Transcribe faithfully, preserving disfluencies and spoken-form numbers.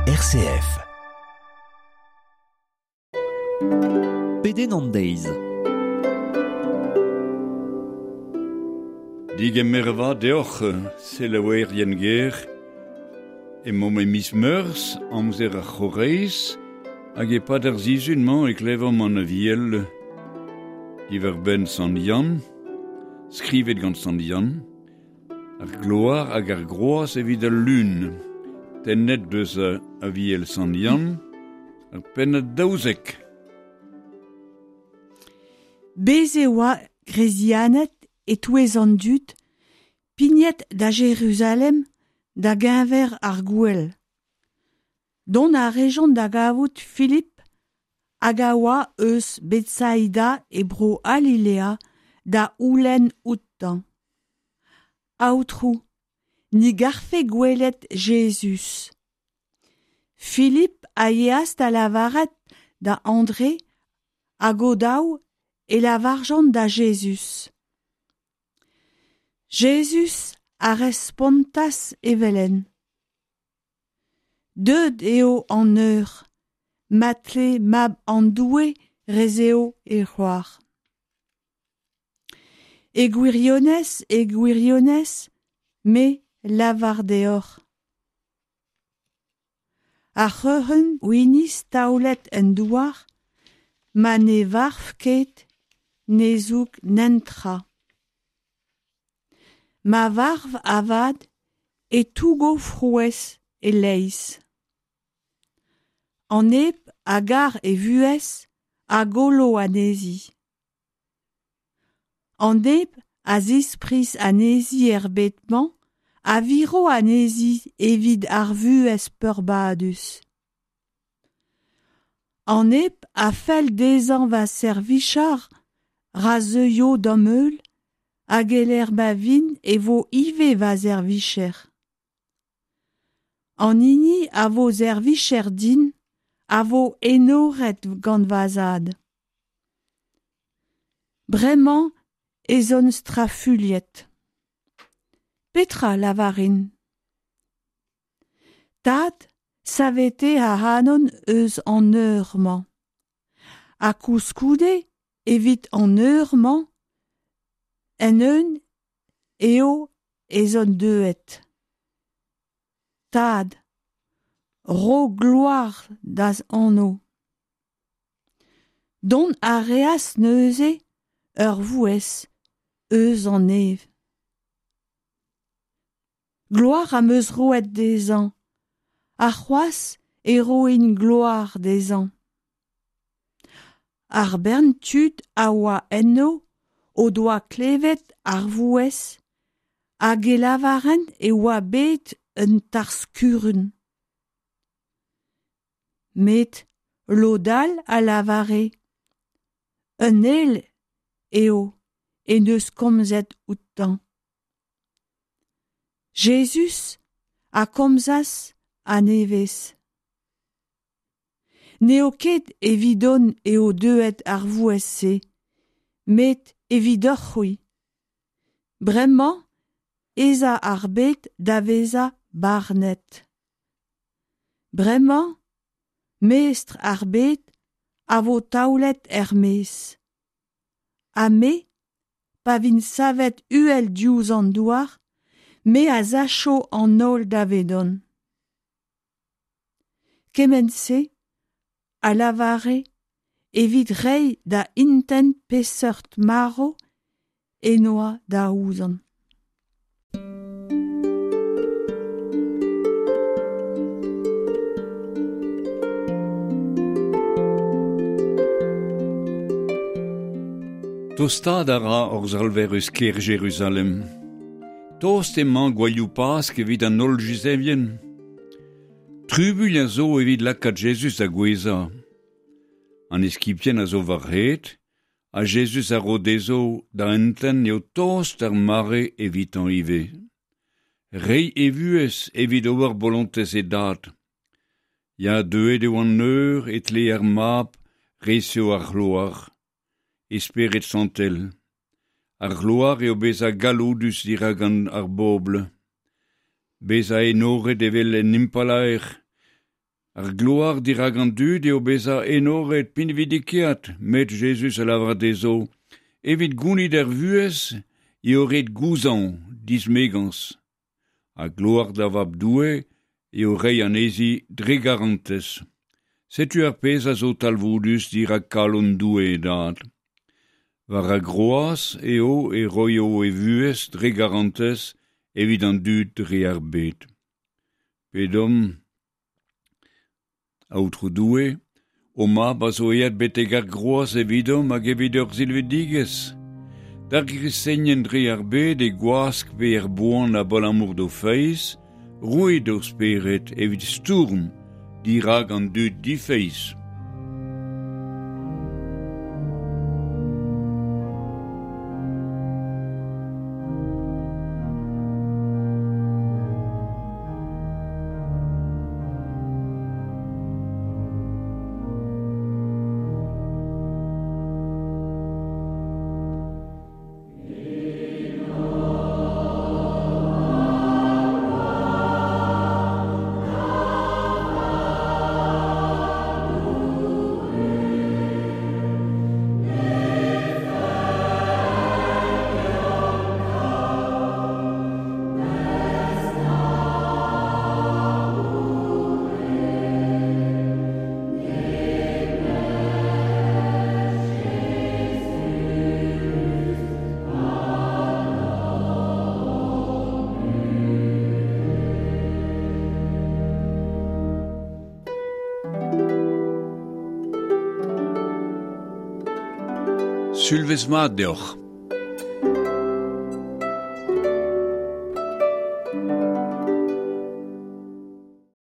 R C F. Pedenn an deiz. Digemer vat deoc'h, selaouerien ger. Emaomp e miz Meurzh, amzer ar C'horaiz, hag e-pad ar sizhun-mañ e klevomp an Aviel diwar-benn Sant Yann, skrivet gant Sant Yann, ar gloar hag ar groaz evit al Lun, tennet deus Aviel Sant Yann, ar pennad daouzek. Bez' e oa Gresianed e-touez an dud, pignet da Jeruzalem da geñver ar gouel. Dont a rejont da gavout Filip hag a oa eus Betsaida e bro Galilea da c'houlenn outañ. Aotrou, ni garfe gwelet Jezuz. Filip a yeas da lavaret da Andre hag o-daou e lavarjont da Jezuz. Jezuz a respontas evel-henn. Deuet eo an eur, ma tle mab an Doue resev e c'hloar. E gwirionez, e gwirionez, me lavar deoc'h. Ar c'hreunenn winizh taolet en douar, ma ne varv ket, ne zoug netra. Ma varv avat e tougo frouezh e-leizh. An neb a gar e vuhez a gollo anezhi. An neb a zispriz anezhi er bed-mañ a viro anezhi evit ar vuhez peurbadus. An neb a fell dezhañ va servijañ ra zeuio da'm heul, hag e-lec'h ma vin e vo ivez va servijer. An hini a vo servijer din a vo enoret gant va zad. Bremañ ez on strafuilhet. Petra lavarin? Tad, savete ac'hanon eus an eur-mañ. Ha koulskoude evit an eur-mañ en-eeun eo ez on deuet. Tad, ro gloar da'z anv. Dont a reas neuze ur vouezh eus an neñv. Gloar am eus roet dezhañ, ha c'hoazh e roin gloar dezhañ. Ar bern tud a oa eno o doa klevet ar vouezh hag e lavarent e oa bet un tarzh-kurun. Met lod all a lavare un ael eo en deus komzet outañ. Jezuz a komzas a-nevez. N'eo ket evidon eo deuet ar vouezh-se, met evidoc'h-c'hwi. Bremañ ez a ar bed da vezañ barnet. Bremañ, mestr ar bed a vo taolet er-maez. Ha me, pa vin savet uhel diouzh an douar, me a sacho an holl davedon. Kement-se a lavare evit reiñ da intent peseurt marv en doa da c'houzañv. Tostaat a ra hor Salver eus kêr Jeruzalem. Tost emañ gouelioù Pask evit an holl Yuzevien. Trubuilh a zo evit lakaat Jezuz da gouezhañ. An eskibien a zo war-c'hed, ha Jezuz a ro dezho da entent eo tost ar mare evitañ ivez. Reiñ e vuhez evit ober bolontez e dad. Ya, deuet eo an eur e tle ar mab resev ar c'hloar. E spered santel. Ar c'hloar eo bezañ galloudus dirak an ar bobl. Bezañ enoret evel un impalaer. Ar gloar dirak an dud eo bezañ enoret pinvidikaet, met Jezuz a lavar dezho, evit gounit ar vuhez eo ret gouzañv dismegañs. Ha gloar da Vab Doue eo reiñ anezhi dre garantez. Setu ar pezh a zo talvoudus dirak kalon Doue e dad. War ar groaz eo e roio e vuhez dre garantez evit an dud dre ar bed. Pedomp, Aotrou Doue, ho mab a zo aet betek ar groaz evidomp hag evit hor silvidigezh. D'ar gristenien dre ar bed e gwask pe er boan abalamour d'o feiz, roit ho spered evit stourm dirak an dud difeiz. Sulvezh mat deoc'h.